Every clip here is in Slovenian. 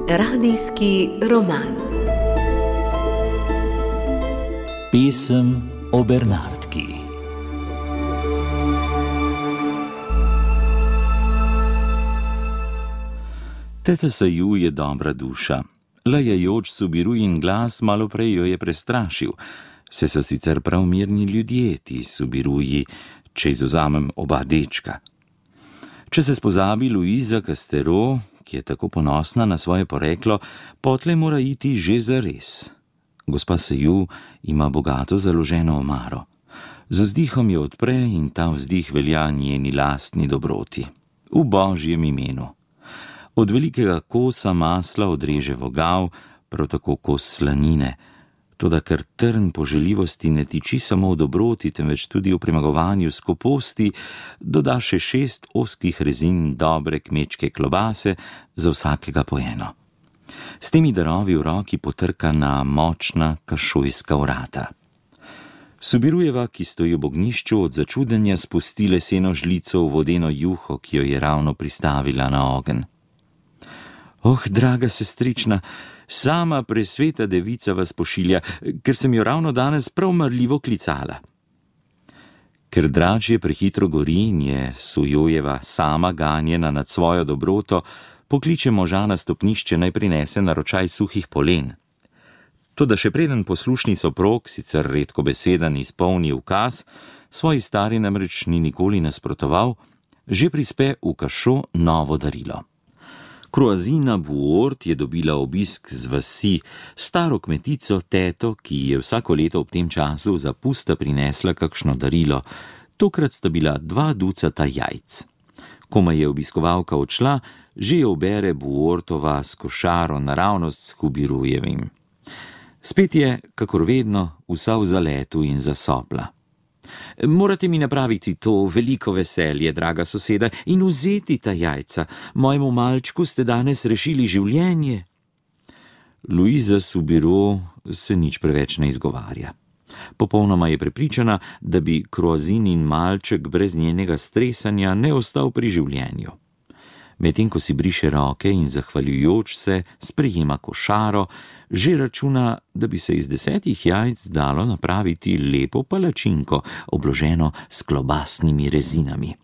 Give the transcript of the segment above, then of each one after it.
Radijski roman. Pesem o Bernardki. Teta Saju je dobra duša. Lajajoč Subirujin glas malo prej jo je prestrašil. Se so sicer prav mirni ljudje, ti Subiruji, če izvzamem oba dečka. Če se spozabi Luiza Castero, ki je tako ponosna na svoje poreklo, potlej mora iti že zares. Gospa Saju ima bogato založeno omaro. Z vzdihom jo odpre in ta vzdih velja njeni lastni dobroti. V Božjem imenu. Od velikega kosa masla odreže vogal, prav tako kos slanine. Toda ker trn poželjivosti ne tiči samo v dobroti, temveč tudi v premagovanju skoposti, doda še 6 ozkih rezin dobre kmečke klobase, za vsakega po eno. S temi darovi v roki potrka na močna kašojska vrata. Subirujeva, ki stoji v ognjišču, od začudenja spusti leseno žlico v vodeno juho, ki jo je ravno pristavila na ogenj. Oh, draga sestrična, sama presveta devica vas pošilja, ker sem jo ravno danes prav marljivo klicala. Ker dračje prehitro gori in je Sujojeva sama ganjena nad svojo dobroto, pokliče moža na stopnišče, naj prinese naročaj suhih polen. Toda še preden poslušni soprog, sicer redko beseden, izpolni ukaz, svoji stari namreč ni nikoli nasprotoval, že prispe v kašo novo darilo. Kroazina Buort je dobila obisk z vasi, staro kmetico, teto, ki je vsako leto ob tem času za pusta prinesla kakšno darilo. Tokrat sta bila 2 ducata jajc. Komaj je obiskovalka odšla, že jo ubere Buortova s košaro naravnost s Subirujevim. Spet je, kakor vedno, vsa v zaletu in zasopla. Morate mi napraviti to veliko veselje, draga soseda, in vzeti ta jajca. Mojemu malčku ste danes rešili življenje. Luiza Subiru se nič preveč ne izgovarja. Popolnoma je prepričana, da bi Kroazinin malček brez njenega stresanja ne ostal pri življenju. Medtem ko si briše roke in zahvaljujoč se sprejema košaro, že računa, da bi se iz 10 jajc dalo napraviti lepo palačinko, obloženo s klobasnimi rezinami.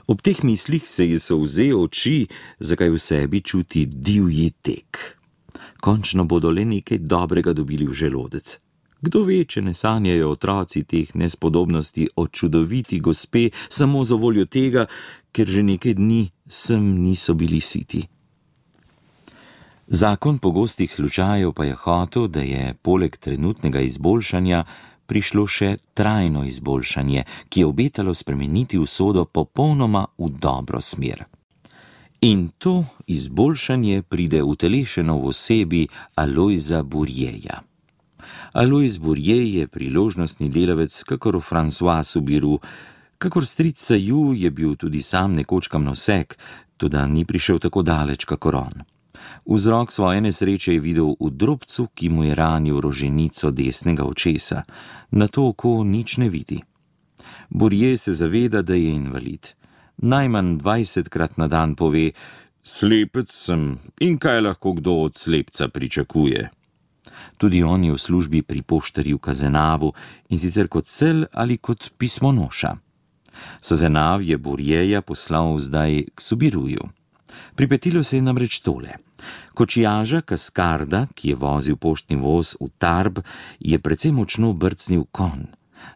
Ob teh mislih se ji solze oči, zakaj v sebi čuti divji tek. Končno bodo le nekaj dobrega dobili v želodec. Kdo ve, če ne sanjajo otroci teh nespodobnosti o čudoviti gospe samo za voljo tega, ker že nekaj dni sem niso bili siti. Zakon pogostih slučajev pa je hotel, da je poleg trenutnega izboljšanja prišlo še trajno izboljšanje, ki je obetalo spremeniti usodo popolnoma v dobro smer. In to izboljšanje pride utelešeno v osebi Alojza Burjeja. Alojz Burje je priložnostni delavec, kakor François Subiru. Kakor stric Saju je bil tudi sam nekoč kamnosek, toda ni prišel tako daleč, kakor on. Vzrok svoje nesreče je videl v drobcu, ki mu je ranil roženico desnega očesa. Na to oko nič ne vidi. Burje se zaveda, da je invalid. Najmanj 20krat na dan pove: slepec sem in kaj lahko kdo od slepca pričakuje. Tudi on je v službi pri poštarju Kazenavu, in sicer kot sel ali kot pismonoša. Sazenav je Burjeja poslal zdaj k Subiruju. Pripetilo se je namreč tole. Kočijaža Kaskarda, ki je vozil poštni voz v Tarbes, je precej močno brcnil konj.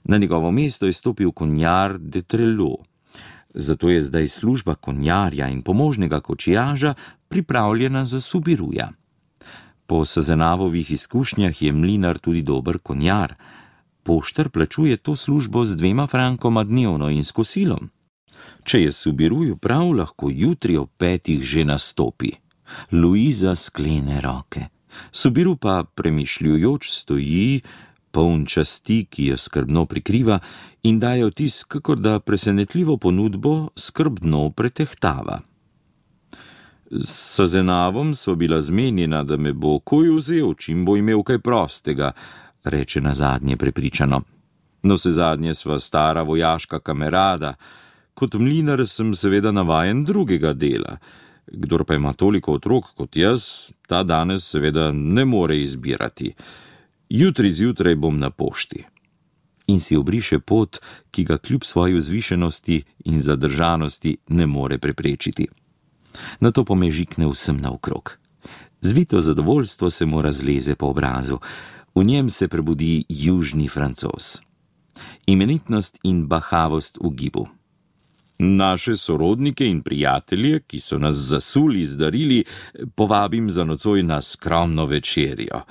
Na njegovo mesto je stopil konjar de Trelot. Zato je zdaj služba konjarja in pomožnega kočijaža pripravljena za Subiruja. Po Sazenavovih izkušnjah je mlinar tudi dober konjar. Poštar plačuje to službo z 2 frankoma dnevno in s kosilom. Če je Subiruju prav, lahko jutri ob 5 že nastopi. Luiza sklene roke. Subiru pa premišljujoč stoji, poln časti, ki jo skrbno prikriva, in daje vtis, kakor da presenetljivo ponudbo skrbno pretehtava. S Sazenavom sva bila zmenjena, da me bo koj vzel, čim bo imel kaj prostega, reče nazadnje prepričano. No, vsezadnje sva stara vojaška kamerada, Kot mlinar sem seveda navajen drugega dela. Kdor pa ima toliko otrok kot jaz, ta danes seveda ne more izbirati. Jutri zjutraj bom na pošti. In si obriše pot, ki ga kljub svoji vzvišenosti in zadržanosti ne more preprečiti. Nato pomežikne vsem naokrog. Zvito zadovoljstvo se mu razleze po obrazu. V njem se prebudi južni Francoz. Imenitnost in bahavost v gibu. Naše sorodnike in prijatelje, ki so nas zasuli z darili, povabim za nocoj na skromno večerjo.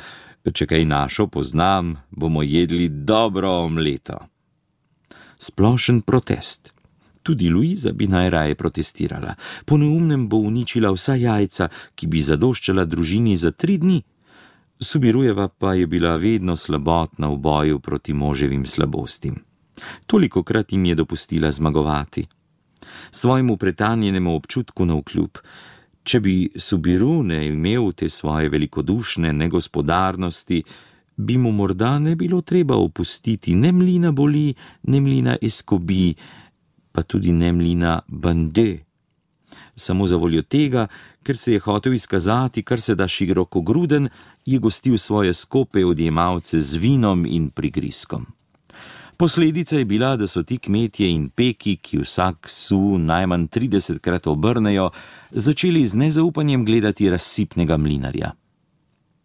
Če kaj našo poznam, bomo jedli dobro omleto. Splošen protest. Tudi Luiza bi najraje protestirala. Po neumnem bo uničila vsa jajca, ki bi zadoščala družini za 3 dni. Subirujeva pa je bila vedno slabotna v boju proti moževim slabostim. Tolikokrat jim je dopustila zmagovati. Svojemu pretanjenemu občutku navkljub, če bi Subiru ne imel te svoje velikodušne negospodarnosti, bi mu morda ne bilo treba opustiti ne mlina Boli, ne mlina Escobi, pa tudi ne mlina Bandé. Samo za voljo tega, ker se je hotel izkazati, kar se da širokogruden, je gostil svoje skope odjemalce z vinom in prigrizkom. Posledica je bila, da so ti kmetje in peki, ki vsak su najmanj 30krat obrnejo, začeli z nezaupanjem gledati razsipnega mlinarja.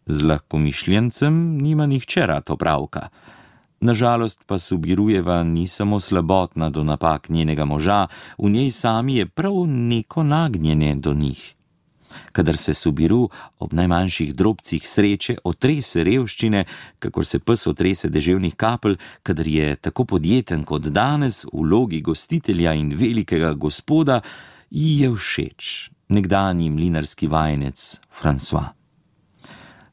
Z lahkomišljencem nima nihče rad opravka. Nažalost pa Subirujeva ni samo slabotna do napak njenega moža, v njej sami je prav neko nagnjenje do njih. Kadar se Subiru ob najmanjših drobcih sreče otrese revščine, kakor se pes otrese deževnih kapelj, kadar je tako podjeten kot danes v vlogi gostitelja in velikega gospoda, ji je všeč nekdanji mlinarski vajenec François.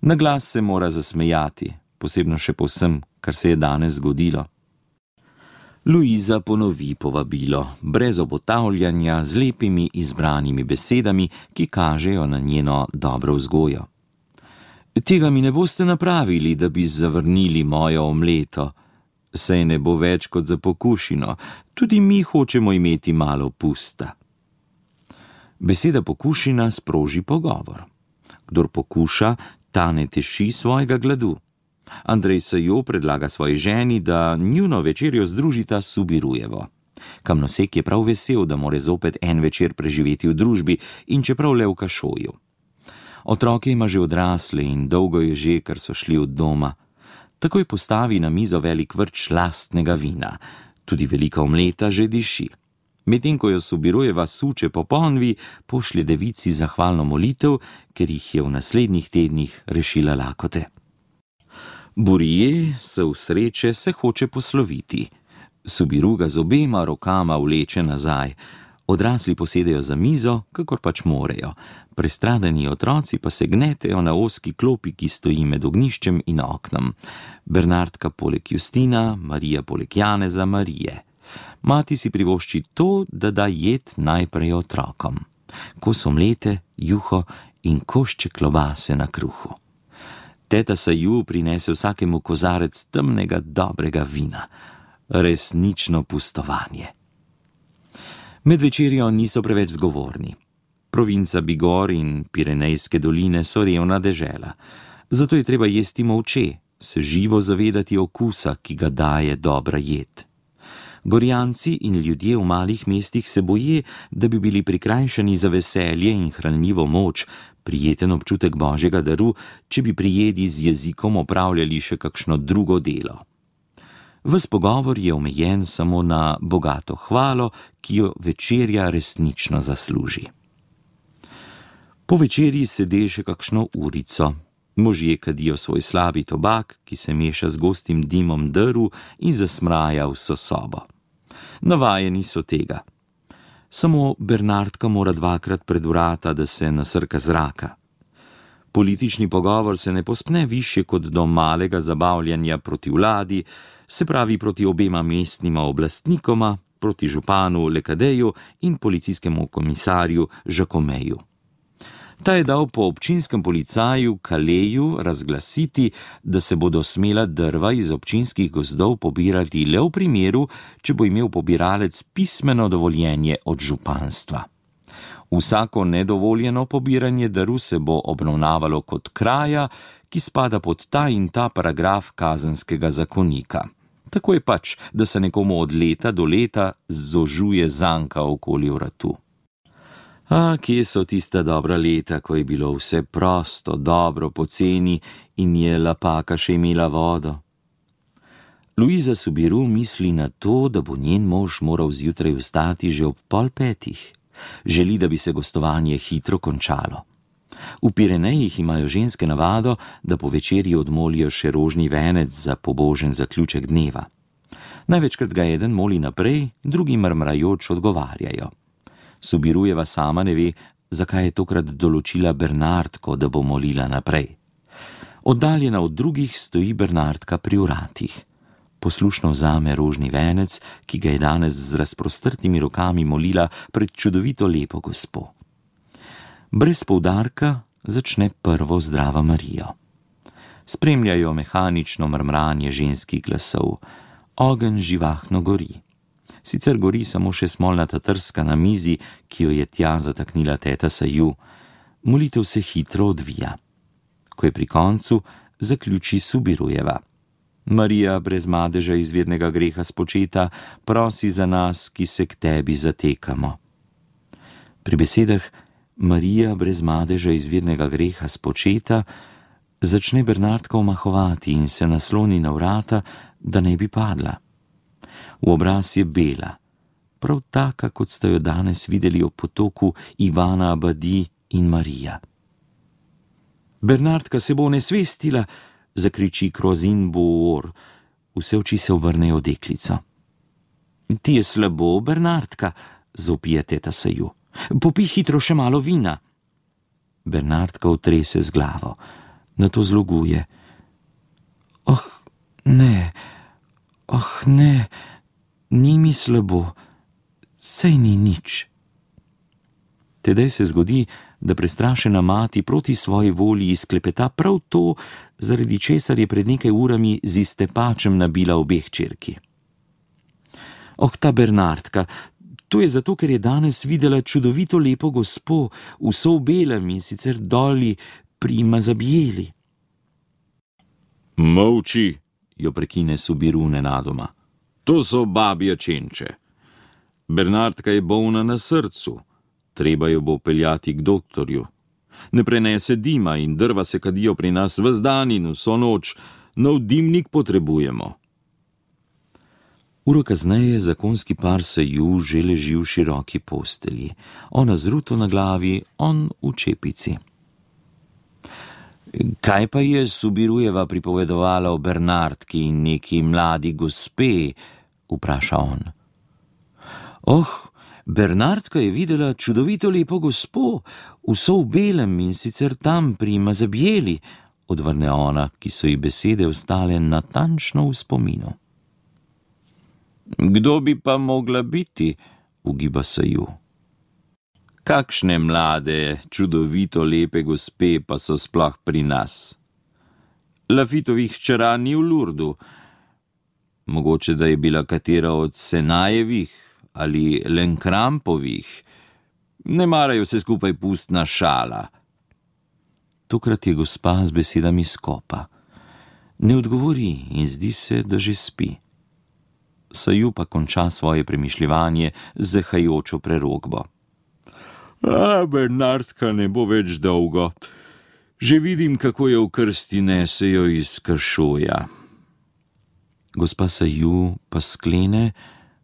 Na glas se mora zasmejati, posebno še po vsem, kar se je danes zgodilo. Luiza ponovi povabilo, brez obotavljanja, z lepimi izbranimi besedami, ki kažejo na njeno dobro vzgojo. Tega mi ne boste napravili, da bi zavrnili mojo omleto. Saj ne bo več kot za pokušino, tudi mi hočemo imeti malo pusta. Beseda pokušina sproži pogovor. Kdor pokuša, ta ne teši svojega gladu. Andrej Sajo predlaga svoji ženi, da njuno večerjo združita s Subirujevo. Kamnosek je prav vesel, da more zopet en večer preživeti v družbi in čeprav le v kašoju. Otroke ima že odrasle in dolgo je že, kar so šli od doma. Takoj postavi na mizo velik vrč lastnega vina. Tudi velika omleta že diši. Medtem ko jo Subirujeva suče po ponvi, pošlje devici zahvalno molitev, ker jih je v naslednjih tednih rešila lakote. Burije se v sreče se hoče posloviti. Subiru ga z obema rokama vleče nazaj. Odrasli posedejo za mizo, kakor pač morejo. Prestradani otroci pa se gnetejo na ozki klopi, ki stoji med ognjiščem in oknom. Bernardka poleg Justina, Marija poleg Janeza, Marije. Mati si privošči to, da da jed najprej otrokom. Kos omlete, juho in košček klobase na kruhu. Teta Saju prinese vsakemu kozarec temnega, dobrega vina. Resnično pustovanje. Med večerjo niso preveč zgovorni. Provinca Bigor in Pirenejske doline so revna dežela. Zato je treba jesti molče, se živo zavedati okusa, ki ga daje dobra jed. Gorjanci in ljudje v malih mestih se boje, da bi bili prikrajšani za veselje in hranljivo moč, prijeten občutek božjega daru, če bi pri jedi z jezikom opravljali še kakšno drugo delo. Ves pogovor je omejen samo na bogato hvalo, ki jo večerja resnično zasluži. Po večerji sede še kakšno urico. Možje kadijo svoj slabi tobak, ki se meša z gostim dimom drv in zasmraja vso sobo. Navajeni so tega. Samo Bernardka mora 2krat pred vrata, da se nasrka zraka. Politični pogovor se ne pospne višje kot do malega zabavljanja proti vladi, se pravi proti obema mestnima oblastnikoma, proti županu Lekadeju in policijskemu komisarju Žakomeju. Ta je dal po občinskem policaju Kaleju razglasiti, da se bodo smela drva iz občinskih gozdov pobirati le v primeru, če bo imel pobiralec pismeno dovoljenje od županstva. Vsako nedovoljeno pobiranje drv se bo obravnavalo kot kraja, ki spada pod ta in ta paragraf kazenskega zakonika. Tako je pač, da se nekomu od leta do leta zožuje zanka okoli vratu. A kje so tista dobra leta, ko je bilo vse prosto, dobro, poceni in je lapaka še imela vodo? Luiza Subiru misli na to, da bo njen mož moral zjutraj vstati že ob 4:30. Želi, da bi se gostovanje hitro končalo. V Pirenejih imajo ženske navado, da po večerji odmolijo še rožni venec za pobožen zaključek dneva. Največkrat ga eden moli naprej, drugi mrmrajoč odgovarjajo. Subirujeva sama ne ve, zakaj je tokrat določila Bernardko, da bo molila naprej. Oddaljena od drugih stoji Bernardka pri vratih. Poslušno vzame rožni venec, ki ga je danes z razprostrtimi rokami molila pred čudovito lepo gospo. Brez poudarka začne prvo Zdrava Marijo. Spremljajo mehanično mrmranje ženskih glasov. Ogenj živahno gori. Sicer gori samo še smolnata trska na mizi, ki jo je tja zataknila teta Saju. Molitev se hitro odvija. Ko je pri koncu, zaključi Subirujeva. Marija brez madeža izvirnega greha spočeta, prosi za nas, ki se k tebi zatekamo. Pri besedah Marija brez madeža izvirnega greha spočeta začne Bernardka omahovati in se nasloni na vrata, da ne bi padla. V obraz je bela, prav taka, kot ste jo danes videli ob potoku Ivana Abadi in Marija. Bernardka se bo onesvestila, zakriči Krozin Boor. Vse oči se obrnejo v deklico. Ti je slabo, Bernardka, zopije teta Saju. Popij hitro še malo vina. Bernardka otrese z glavo, nato zloguje. Oh, ne, ni mi slabo, sej ni nič. Tedaj se zgodi, da prestrašena mati proti svoji volji izklepeta prav to, zaradi česar je pred nekaj urami z iztepačem nabila obeh čerki. Oh, ta Bernardka, to je zato, ker je danes videla čudovito lepo gospo, vso v belem in sicer doli pri Mazabjeli. Molči, jo prekine Subiru nenadoma. To so babje čenče. Bernardka je bolna na srcu. Treba jo bo peljati k doktorju. Ne prenese dima in drva se kadijo pri nas ves dan in vso noč. Nov dimnik potrebujemo. Uro kasneje zakonski par Saju že leži v široki postelji. Ona z ruto na glavi, on v čepici. Kaj pa je Subirujeva pripovedovala o Bernardki in neki mladi gospe, vpraša on. Oh, Bernardka je videla čudovito lepo gospo, vso v belem in sicer tam pri Mazabjeli, odvrne ona, ki so ji besede ostale natančno v spominu. Kdo bi pa mogla biti, ugiba Saju. Kakšne mlade, čudovito lepe gospe pa so sploh pri nas? Lafitovih hčera ni v Lurdu. Mogoče, da je bila katera od Senajevih ali Lenkrampovih. Ne marajo se skupaj pustna šala. Tokrat je gospa z besedami skopa. Ne odgovori in zdi se, da že spi. Saju pa konča svoje premišljevanje z zahajočo prerokbo. Bernardka ne bo več dolgo. Že vidim, kako jo v krsti nesejo iz Kršoja. Gospa Saju pa sklene,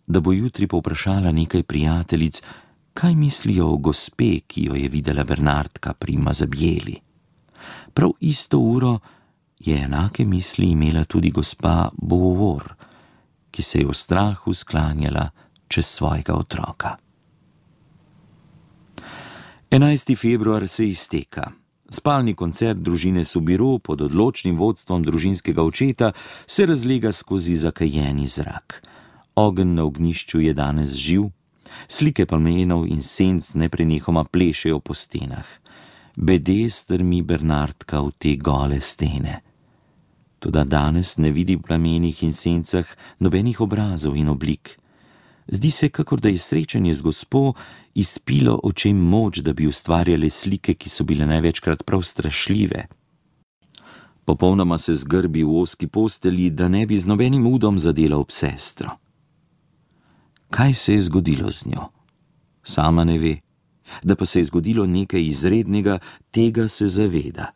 da bo jutri povprašala nekaj prijateljic, kaj mislijo o gospe, ki jo je videla Bernardka pri Mazabjeli. Prav isto uro je enake misli imela tudi gospa Boor, ki se je v strahu sklanjala čez svojega otroka. 11. februar se izteka. Spalni koncert družine Subiru pod odločnim vodstvom družinskega očeta se razlega skozi zakajeni zrak. Ogenj na ognjišču je danes živ, slike palmenov in senc neprenehoma plešejo po stenah. bede strmi Bernardka v te gole stene. Toda danes ne vidi v plamenih in sencah nobenih obrazov in oblik. Zdi se, kakor da je srečanje z gospo izpilo očem moč, da bi ustvarjale slike, ki so bile največkrat prav strašljive. Popolnoma se zgrbi v ozki postelji, da ne bi z nobenim udom zadela ob sestro. Kaj se je zgodilo z njo? Sama ne ve. Da pa se je zgodilo nekaj izrednega, tega se zaveda.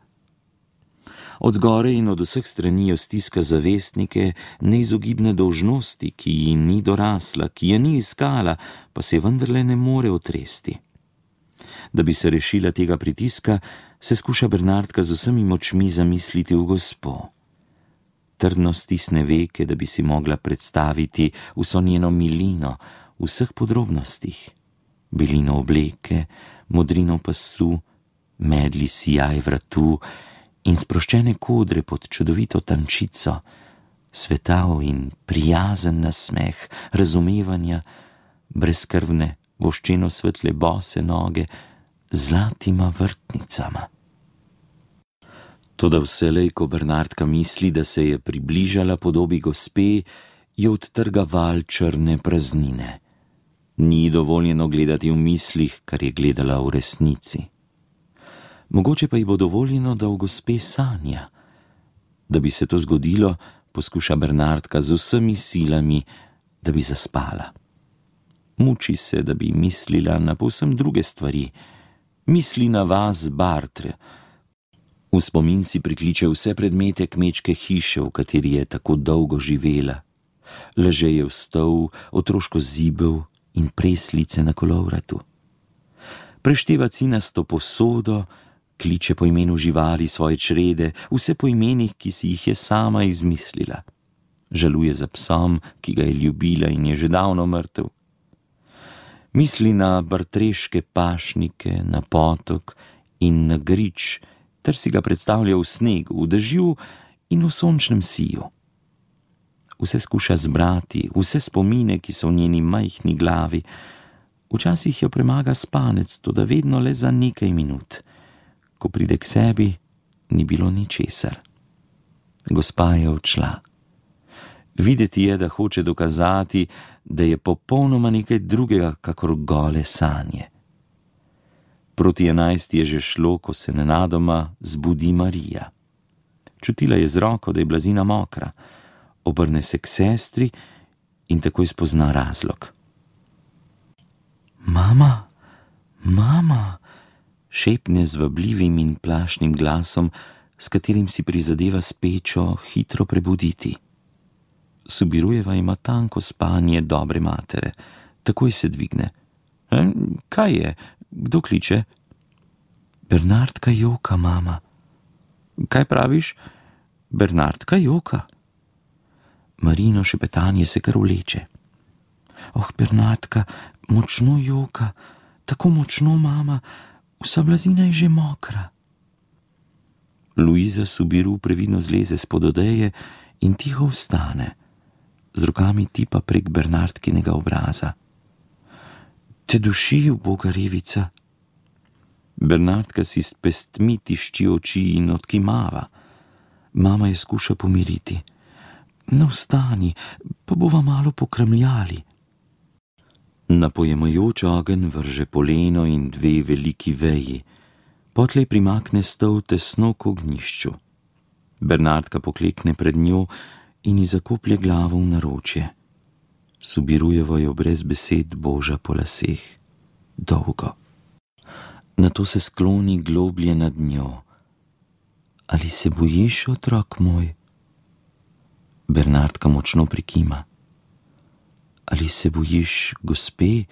Od zgoraj in od vseh strani jo stiska zavestnike neizogibne dolžnosti, ki ji ni dorasla, ki je ni iskala, pa se vendarle ne more otresti. Da bi se rešila tega pritiska, se skuša Bernardka z vsemi močmi zamisliti v gospo. Trdno stisne veke, da bi si mogla predstaviti vso njeno milino v vseh podrobnostih. Belino obleke, modrino pasu, medli sijaj vratu in sproščene kodre pod čudovito tančico, svetav in prijazen nasmeh, razumevanja, brezkrvne, voščeno svetle bose noge, zlatima vrtnicama. Toda vselej, ko Bernardka misli, da se je približala podobi gospe, jo odtrga val črne praznine. Ni dovoljeno gledati v mislih, kar je gledala v resnici. Mogoče pa ji bo dovoljeno, da v gospe sanja. Da bi se to zgodilo, poskuša Bernardka z vsemi silami, da bi zaspala. Muči se, da bi mislila na povsem druge stvari. Misli na vas Bartre. V spomin si prikliče vse predmete kmečke hiše, v kateri je tako dolgo živela. Ležejev stol, otroško zibel in preslice na kolovratu. Prešteva cinasto posodo, kliče po imenu živali svoje črede, vse po imenih, ki si jih je sama izmislila. Žaluje za psom, ki ga je ljubila in je že davno mrtev. Misli na bartreške pašnike, na potok in na grič, ter si ga predstavlja v snegu, v dežju in v sončnem siju. Vse skuša zbrati, vse spomine, ki so v njeni majhni glavi. Včasih jo premaga spanec, toda vedno le za nekaj minut. Ko pride k sebi, ni bilo ničesar. Gospa je odšla. Videti je, da hoče dokazati, da je popolnoma nekaj drugega, kakor gole sanje. Proti 11 je že šlo, ko se nenadoma zbudi Marija. Čutila je z roko, da je blazina mokra. Obrne se k sestri in takoj spozna razlog. Mama, mama, šepne z vabljivim in plašnim glasom, s katerim si prizadeva s pečo hitro prebuditi. Subirujeva ima tanko spanje dobre matere. Takoj se dvigne. Kaj je? Kdo kliče? Bernardka joka, mama. Kaj praviš? Bernardka joka. Marino šepetanje se kar vleče. Oh, Bernardka, močno joka, tako močno, mama, vsa blazina je že mokra. Luiza Subiru previdno zleze spod odeje in tiho vstane. Z rokami tipa prek Bernardkinega obraza. Te duši, uboga revica. Bernardka si s pestmi tišči oči in odkimava. Mama je skuša pomiriti. No, vstani, pa bova malo pokramljali. Na pojemajoč ogenj vrže poleno in 2 veliki veji. Potlej primakne stol tesno k ognjišču. Bernardka poklekne pred njo in ji zakoplje glavo v naročje. Subirujevo jo brez besed boža po laseh. Dolgo. Nato se skloni globlje nad njo. Ali se bojiš, otrok moj? Bernardka močno prikima. Ali se bojiš gospe,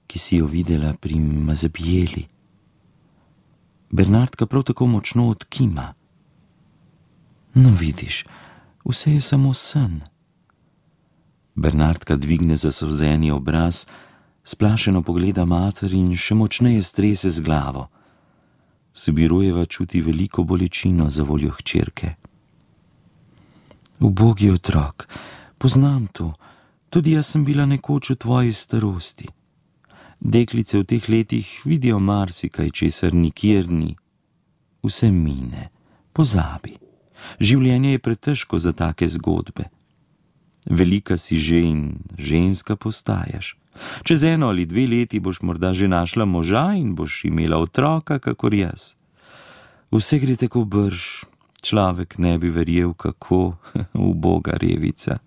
ki si jo videla pri Mazebijeli? Bernardka prav tako močno odkima. No, vidiš, vse je samo sen. Bernardka dvigne zasolzeni obraz, splašeno pogleda mater in še močneje strese z glavo. Subirujeva čuti veliko bolečino za voljo hčerke. Ubogi otrok, poznam to, tudi jaz sem bila nekoč v tvoji starosti. Deklice v teh letih vidijo marsikaj, česar nikjer ni. vse mine, pozabi. Življenje je pretežko za take zgodbe. Velika si že in ženska postajaš. Čez 1 ali 2 leti boš morda že našla moža in boš imela otroka, kakor jaz. Vse gre tako brž, človek ne bi verjel, kako uboga revica.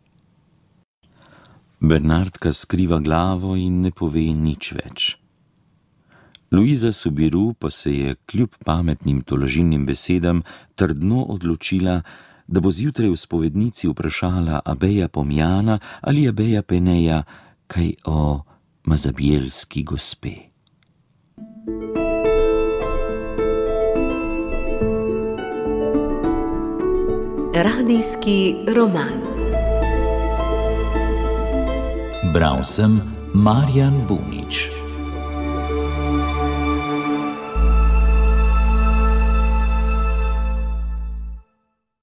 Bernardka skriva glavo in ne pove nič več. Luiza Soubirous pa se je kljub pametnim tolažilnim besedam trdno odločila, da bo zjutraj v spovednici vprašala Abeja Pomjana ali Abeja Peneja kaj o mazabjelski gospe. Radijski roman. Bral sem Marjan Bunič.